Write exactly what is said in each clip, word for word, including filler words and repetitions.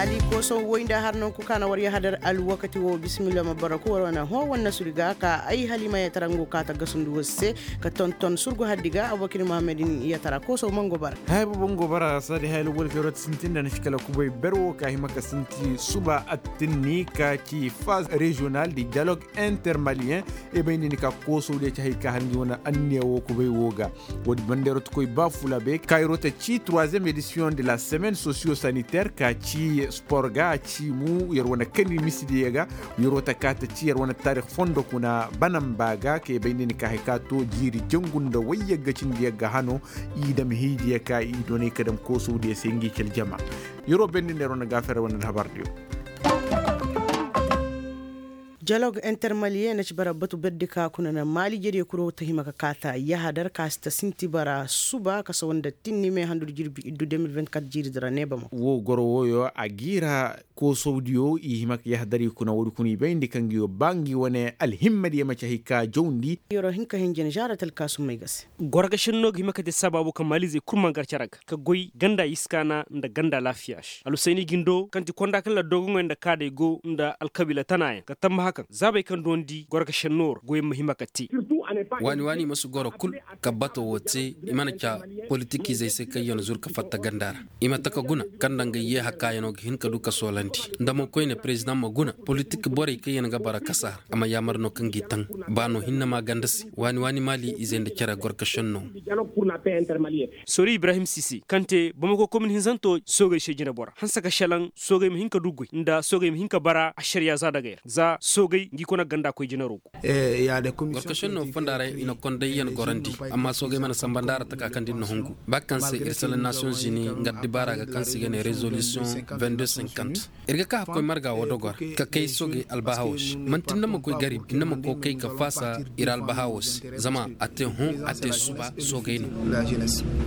Ali kooso woy nda har nanku ka na war yahadar alwakati wo bisimilla ma bara ku war wane hõ wane nasuri ga ka ay halima yatarangu ka ta gasundu war se ka tonton surgu haddi ga abubakir muhammadin yatara kooso mango bara. Hay baba ngo bara sadi hay lugol kero ti sintin da na shi kala kubay ber wo ka hima ka sinti suba attinni ka ci phase régional di dialogue intermalien. E bay nini ka kooso de ci hay ka har ngi wane anniya wo kubay wo ga. Wodi bandero ti koy ba fula be kayro ta ci troisième édition de la semaine socio sanitaire ka ci sport ga ci mu yer wane kani misidi yaga. Yer wata ka ta ci yer wane tarik fondo kuna banan ba ga ke bay nini ka hay ka to jiiri jangu nda wayyaga cindi yaga hano. I dam hiidiya ka i donay ka dam kooso diya se ngi cal jama. Yer wo bay nini yer wane gafere wane alhabar diyo. Dialogue intermalien na ci bara batu berdi ka kuna na maali jere kuro ta hima ka kaata yahadar ka si ta sinti bara suba ka sawa nda tinni me handu da jirbi iddu deux mille vingt-quatre jiiri dira ne bama. Wo goro woyo a giira koosowdiyo i hima ka yahadar i kuna wodi kuna i bayndi ka ngi yo ba ngi wane alhimmadiyo ma ci hay ka jawndi. Yoro hinka hinjin jaara talkaasumay ga se. Gorga shenno ga hima ka te sababu ka maalizey kul man gar cere ga ka goy ganda iskaana nda ganda laafiya se alusayni gindo kaŋ ti konda kaŋ la dogoŋey nda kaadey go nda alkabiila tanaayaŋ ka tammaha kaŋ zaabey kaŋ doondi gorga shenno ra goyey ma hima ka te. Waani waani i ma si goro kul ka bato wo te i mana ca politikizey se kaŋ yaŋ zuru ka fatta ganda ra. I ma taka guna kaŋ nda nga yeeha kaayanoo ga hin ka du ka soolandi nda mo koyne perezidaŋ ma guna politik borey kaŋ yaŋ ga bara kasa ra a ma yaamar no kaŋ g'i taŋ. Baano hinne ma ganda se waani waani maali izey nda cere gorka shenno. Sori ibrahim sisi kaŋ te bamako komin hinzanto soogey se jinebora hanse ka shelaŋ soogey ma hin ka du goy nda soogey ma hin ka bara ašariya za dagey ra za soogey ngi kona ganda koy jinero go. Gorka shenno fonda ra i na konday yaŋ gorandi amma soogey mana samba nda ra taka kaŋ da ir na hungu ba kaŋ se ir sala nation zini nga dibaara ga kaŋ se i ga ne resolution vingt-deux cinquante. Ir ga ka hakkoy marga wo dogor ka kay soogey albahawo se manti nda ma koy gari nda ma kookay ka faasa ir albahawo se zama a te hõ a te suba soogey no.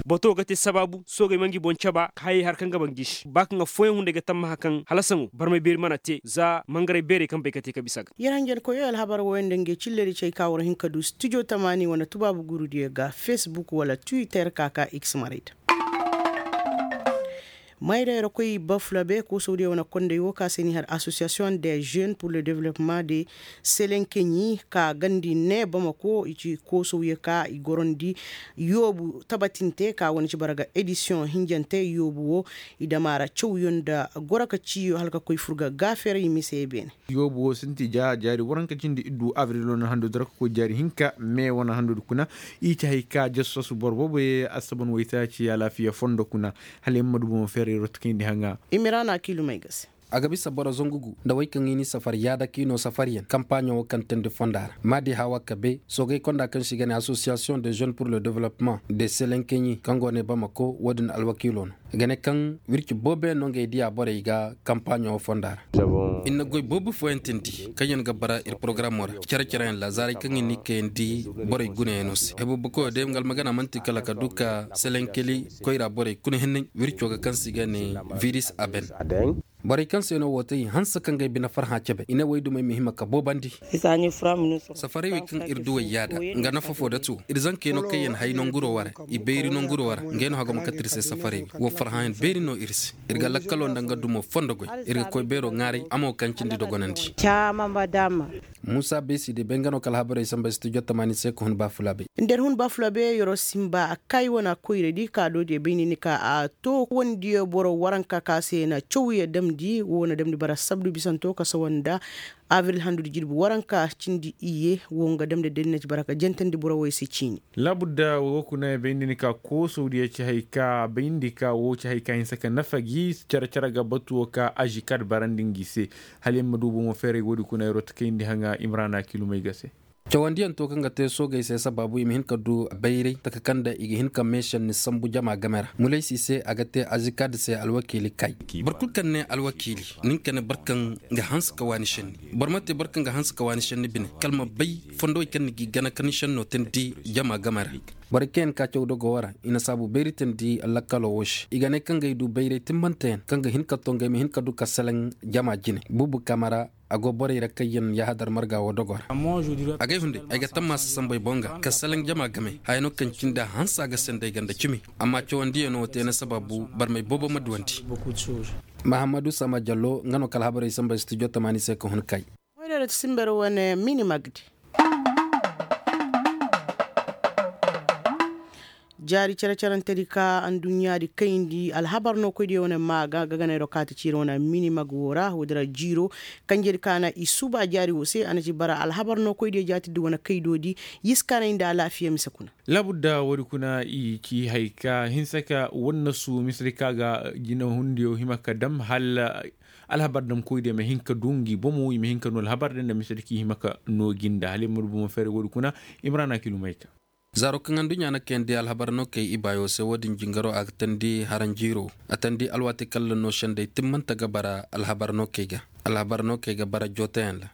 Bato ga te sabaabu soogey ma ngi boŋ caba ka hayey har kaŋ ga ba ngi se ba kaŋ affooyaŋ hunday ga tammaha kaŋ halasaŋo barmay beeri mana te za mangaray beerey kaŋ bay ka te ka bisa ga. Yer hanjankoyey alhabar wooyaŋ nda ngey cilledi cay ka war hin ka du studio tamaani wane tubaabu gurudiyo ga facebook wala twitter ka ka x maray da. Mayra yer koy bafulabe koosowdiyo wane konday wo ka se ni har association des jeunes pour le développement de selenkeɲi ka gandi ne bamako i ci koosowye ka i gorondi yoobu tabatinte ka wane ci bara ga edisiyoŋ hinjante yoobu wo i damaara cawyo nda goro ka ciyo hala ka koy fur ga gaafere i mise beene. Yoobu wo sinti ja jaari waranka cindi iddu abril wane handu dara ka koy jaari hinka me wane handu kuna. I ci hay ka jassasu boro boobo ye asaban waytaaci alaafiya fondo kuna. Hala yer ma du bomo feerey rot kayndi haŋa. Imiraana kiilumay ga se. A ga bisa boro zangu gu nda wey kaŋ i ni safar yaada k'i no safaryaŋ kampaaɲo wo kaŋ teendi fonda ra maadi hawa kabe soogey konda kaŋ se i ga ne association de jeunes pour le développement de selenkeɲi kaŋ go ne bamako wo-din alwakiilo no. I ga ne kaŋ wirci booboyaŋ no ngey diya borey ga kampaaɲo wo fonda ra. Ir na goy boobo fooyaŋ teendi kaŋyaŋ ga bara ir porogaraamo ra cere-cereyaŋ ra zaarey kaŋ i n'i kayandi borey gunayaŋo se hebubukoyo day nga almagana man'ti kala ka du ka selenkeli koyra borey kuna hinney wirco ga kaŋ se i ga ne viris aben. Borey kaŋ se no wo te i hanse ka ngey bine farhã cebe i ne woy dumey ma hima ka boobandi. Safarey wey kaŋ ir duwey yaada nga nafa fo datu ir zankey no kaŋ yaŋ hay nanguro wara i bayri nanguro wara ngey no hagoma kate ir se safarey wey wo farhãyaŋ beeri no ir se. Ir ga lakkalo nda nga dumo fondo goy ir ga koy beero ŋaaray a mo kaŋ cindi dogonandi. Muusa beesi de bay nga no ka alhabarey samba studio tamaani se ka hun baafulaabey. Nda ir hun baafulaabey yer'o simba a kaayi wane koyradi ka doodiyo bay ni ni ka a to wandiyo boro waranka ka se na cawye damndi wo na damndi bara sabdu bisanto ka sawa nda abril handu da jirbi waranka cindi iyye wo nga damndi day na ci bara ka jantandi boro wey se ciini. Laabudda wo kuna bay ni ni ka koosowdiyo ci hay ka bay ni ka wo ci hay ka hinsa ka nafa gi care-care ga batu wo ka ažikad barandi ngi se. Hala yer ma du bomo feeray woodi kuna yer'o ta kayndi haŋa imrana kilumey ga se. Cawandiyaŋ to kaŋ ga te soogey se sabaabu i ma hin ka du bayray taka kaŋ nda i ga hin ka meesenni sambu jama game ra mulaysi se a ga te azikad se alwakiili kay. Boro kulu kaŋ ne alwakiili nin ka ne boro kaŋ ga hanse ka waani senni boro ma te boro kaŋ ga hanse ka waani senni bine kala ma bay fondowey kaŋ ni g'i gana ka ni senno teendi jama game ra. Borey kaŋ yaŋ ka caw dogo wara i na saabu bayri teendi lakkalo wo se i ga ne kaŋ ga ay du bayray timmanteyaŋ kaŋ ga hin ka to nga ay ma hin ka du ka seleŋ jama jine buubu kamara. A go borey ra kaŋ yaŋ yahadar marga wo dogo ra. Agay hunday ay ga tammaasa sambey boŋ ga ka salaŋ jama game haya no kaŋ cindi a hanse a ga sendey ganda cimi. Amma cawandiyaŋo te na sababu barmey boobo ma duwandi. Mahammadu sama jallo nga no ka alhabarey sambey studio tamaani se ka hun kay. Moydeero ti simber wane mini magdi. Jaari cere-cerentedi ka anduɲɲaadi kayndi alhabar no koydiyo wane ma ga gaganayro kaati ciiri wane mini mag wo ra woodi ra jiiro. Kanjedi ka na i suuba jaari wo se a na ci bara alhabar no koydiyo jaatidi wane kaydoodi. Yiskaanay nda alaafiya mise kuna. Laabudda woodi kuna i ci hay ka hinsa ka wanna su misedi ka ga jinahundiyo hima ka dam hala. Alhabar damkoydiyo ma hin ka du ngi bomo i ma hin ka noo alhabar din nda misedi ka i hima ka noo ginda hala i ma du bomo fere woodi kuna. Imrana kilumay ka. Zaaro kaŋ anduɲɲa na kayandi alhabar no kay ibaayo se wo-din jingaro a ga tandi haranjiiro. A tandi alwaati kalla no sendey timmante ga bara alhabar no kay ga. Alhabar no kay ga bara jootayaŋ ra.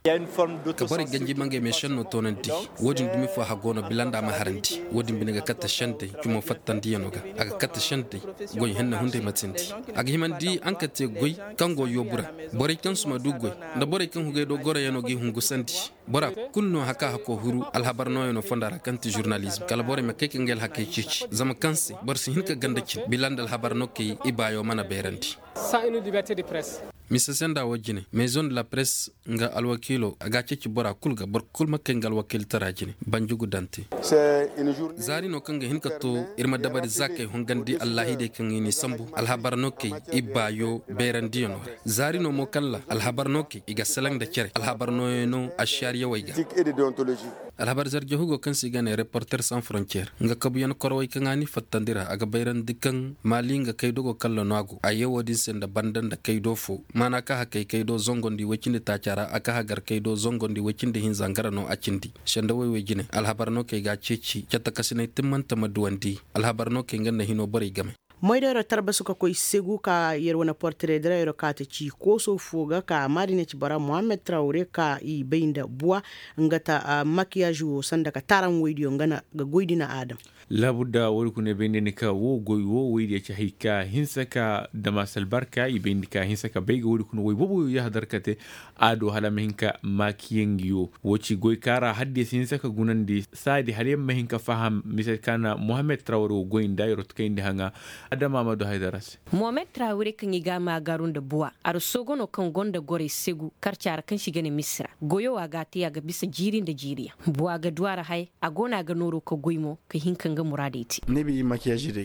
Ka borey ganji ma ngey meesenno toonandi. Wo-din dumi fo hagoo no bila nda a ma harandi wo-din bine ga katte sendey cumo fattandiyano ga. A ga katte sendey goy henne hunday ma tindi. A ga himandi ankate goy kaŋ go yoobu ra. Borey kaŋ suma du goy nda borey kaŋ hugay do goroyano g'i hungusandi. Bora kulu no haka hako huru alhabar nooyano fonda ra kaŋ ti žurnalizm kala borey ma kay ka ngey alhakey ceeci zama kaŋ se boro si hin ka ganda cin bila nda alhabar no kay ibaayo mana bayrandi. Mise senda wo jine maison de la presse nga alwakiilo a ga a ceeci bora kulu ga boro kulu ma kay nga alwakiiltara jine. Banjugu dante. Zaari no kaŋ ga hin ka to ir ma dabari za kay hongandi allahidey kaŋ i n'i sambu alhabar no kay ibaayo bayrandiyano ra. Zaari no mo kaŋ ra alhabar no kay i ga salaŋ nda cere alhabar nooyano ašariyawey ga. Alhabar zarjahugo kaŋ se i ga ne reporter sans frontier nga kabuyan korowey kaŋ a n'i fattandi ra a ga bayrandi kaŋ maali nga kaydo go kalla no a go a yee wo-din se nda banda nda kaydo fo maana ka hakey kaydo zongondi woy cindi taaca ra a ka hagar kaydo zongondi woy cindi hinza nga ra no a cindi. Sendawey wey jine alhabar no kay ga a ceeci catakasiney timmante ma duwandi. Alhabar no kay nga nda hino borey game. Moydero tarbasu ka koy segu ka yer wane portire dirayro ka ta ci kooso fo ga ka maadine ci bara mohammed trawre ka i bay nda buwa nga ta makiyaaz wo sanda ka taaram woydiyo nga na ga goy dina aadam. Laabudda woodi kuna bay nda ni ka wo goy wo woydiyo ci hay ka hinsa ka dama salbarka i bay nda ka hinsa ka bay ga woodi kuna woy boobo yo yahadar ka te. A do hala ma hin ka maakiyaŋ ngi wo wo ci goy kaara hadde si hinsa ka gunandi saadi hala yaŋ ma hin ka faham mise ka na mohammed trawre wo goy nda yerot kayndi haŋa. Adama ma du haydara se. Mohammed trawre kaŋ i ga a maagaaru nda buwa arsogo no kaŋ gonda gorey segu karca ra kaŋ si ga ne misira goyo a ga a te a ga bisa jiiri nda jiiriyaŋ buwa ga du a ra haya. A go no a ga nooro ka goy mo ka hin ka nga muraadey te.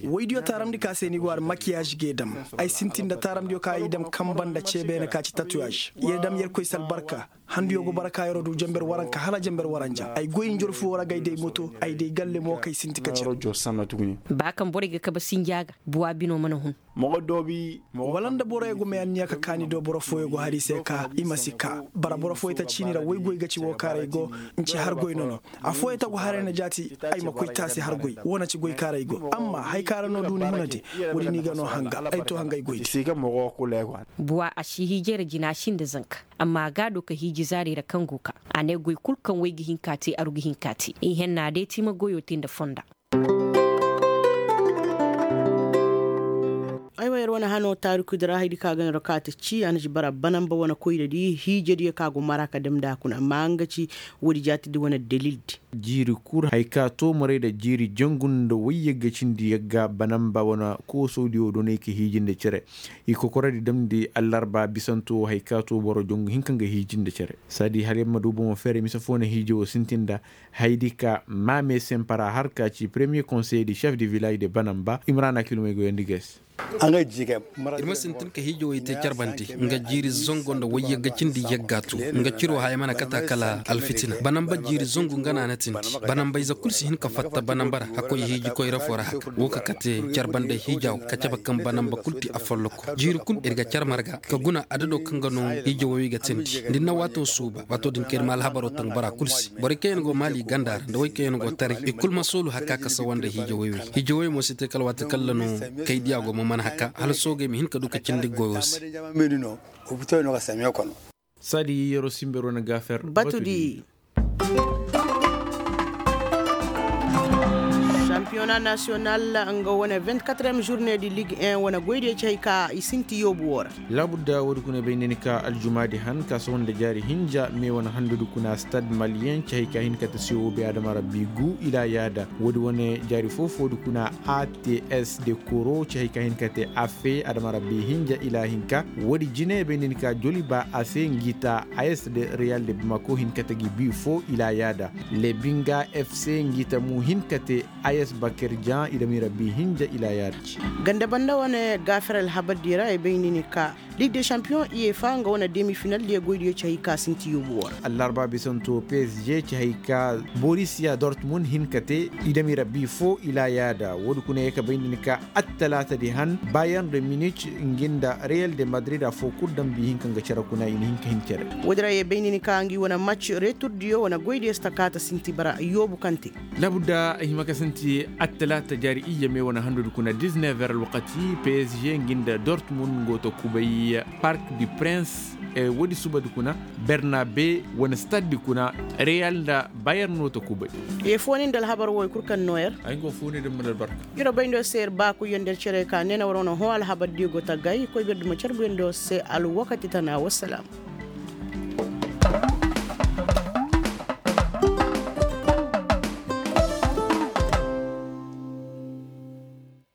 Woydiyo taaramndi ka se ni go a ra makiyaaz g'e dam. Ay sintin nda taaramndiyo ka i dam kanba nda ceebeene ka ci tatuyaaž. Yer dam yerkoy si albarka. Handuyo go bara ka yer'o du jenber waranka hala jenber waranjaŋ ay goy njorfu wo ra ga ay day moto ay day galle mo kay sinti ka cere. Ba kaŋ borey ga kabe sinja ga buwa bino mana hun. Wala nda boroyo go may anniya ka kaani do boro fooyo go har i se ka i ma si kaa bara boro fooyo ta ciini ra woy goy ga ci wo kaaray go. Nci har goy no no. Afooyo ta go haray na jaati. Ay ma koy taasi har goy wo na ci goy kaaray go amma hay kaara no duuni huna di. Woodi ni ga no hanga ay to hangay goy di. Buwa a si hiijay ra jina a si nda zanka. Amma a ga a do ka hiiji zaari ra kaŋ go ka a ne goy kul kaŋ way ga hin ka te aru ga hin ka te i henna day ti ma goyo te nda fonda. Aywa yer wane hano taarikudi ra haydi ka ga no ra ka ta ci a na ci bara banamba wane koyra di hiijadiyo ka go mara ka damndi a kuna amma nga ci. Woodi jaatidi wane dalildi. Jiiri kul hay ka to maray nda jiiri jangu nda wayyagga cindi yagga banamba wane koosodiyo donay ka hiiji nda cere. I kokoradi damndi allarba bisanto hay ka to boro jangu hinka nga hiiji nda cere. Saadi hala yer ma du bomo feere mise fo na hiiji wo sintin nda. Haydi ka maame sempara har ka ci premier conseil de chef de village de banamba imrana kilomey goyandi ga ay se. Ir ma sintin ka hiijawey te carbandi nga jiiri zango nda wayyagga cindi yagga tu. Nga ciro haya mana kata kala alfitina banamba jiiri zangu nga na a na tindi. Banamba ize kul si hin ka fatta banamba ra hakkoy hiiji koyra fo ra haka wo ka kate carbandey hiijaw ka cabe kaŋ banamba kul ti afolloko jiiri kul ir ga car marga ka guna adado kaŋ ga no. Hiijawey ga tindi nda ni na waato suuba waato din kaŋ ir ma alhabaro taŋ bora kul se. Borey kaŋ yaŋ go maali ganda ra nda wey kaŋ yaŋ go taray i kul ma soolu haka ka sawa nda hiijawey wey. Hiijawey mo si te kala waati kalla no kay diya go ma mana haka hala soogey ma hin ka du ka cindi goyo se. Saadi yeroo simberoo na gaafer batudi. Piyona nasiyonal nga wane vingt-quatrième journée di ligue un wane goydiyo ci hay ka i sinti yoobu woo ra. Laabudda woodi kuna bay nda ni ka aljumaadi han ka sohõ nda jaari hinja me wane handudi kuna stade malien ci hay ka hin ka te siyo be adama rabbi gu ila yaada woodi wane jaari foo-foodi kuna ats de koro ci hay ka hin ka te afe adama rabbi hinja ila hinka. Woodi jine bay nda ni ka joliba afe ngi ta as de real de bamako hin ka te gi bi foo ila yaada lebinga fc ngi ta mu hin ka te as bakir jan i dami rabbi hinja ila yaada. Ganda banda wane gaafir alhabar di ra i bay nda ni ka ligue de champion i ye fa nga wane demi final di ye goy di ye ci hay ka sinti yoobu woo ra. Allarba bisanto psg ci hay ka borisiya dortmund hin ka te i dami rabbi foo ila yaada woodi kuna ye ka bay nda ni ka attalaata di han bayern de munich ngi nda real de madrid affoo kul dambi hinka nga cere kuna i na hin ka hin cere. Woodi ra ye bay nda ni ka ngi wane match retur diyo wane goy di ye si ta kaata sinti bara yoobu kaŋ te. Laabudda ay hima ka sinti attalaata jaari iyye me wane handudi kuna dix-neuf heures alwakati psg ngi nda dortmund nga wo ta kubay park du prince. Woodi subadi kuna bernabe wane stade di kuna real nda bayern no ta kubay. Ye fooni nda alhabar wo i kul kaŋ nooyer ay nga wo fooni nda mana albarka. Yer wo bay nda yer se yer baakuy yer nda yer cere ka nee na war wane hõ alhabar di go ta gay koy bir duma carbu yer nda yer se alwakati tana wassalam.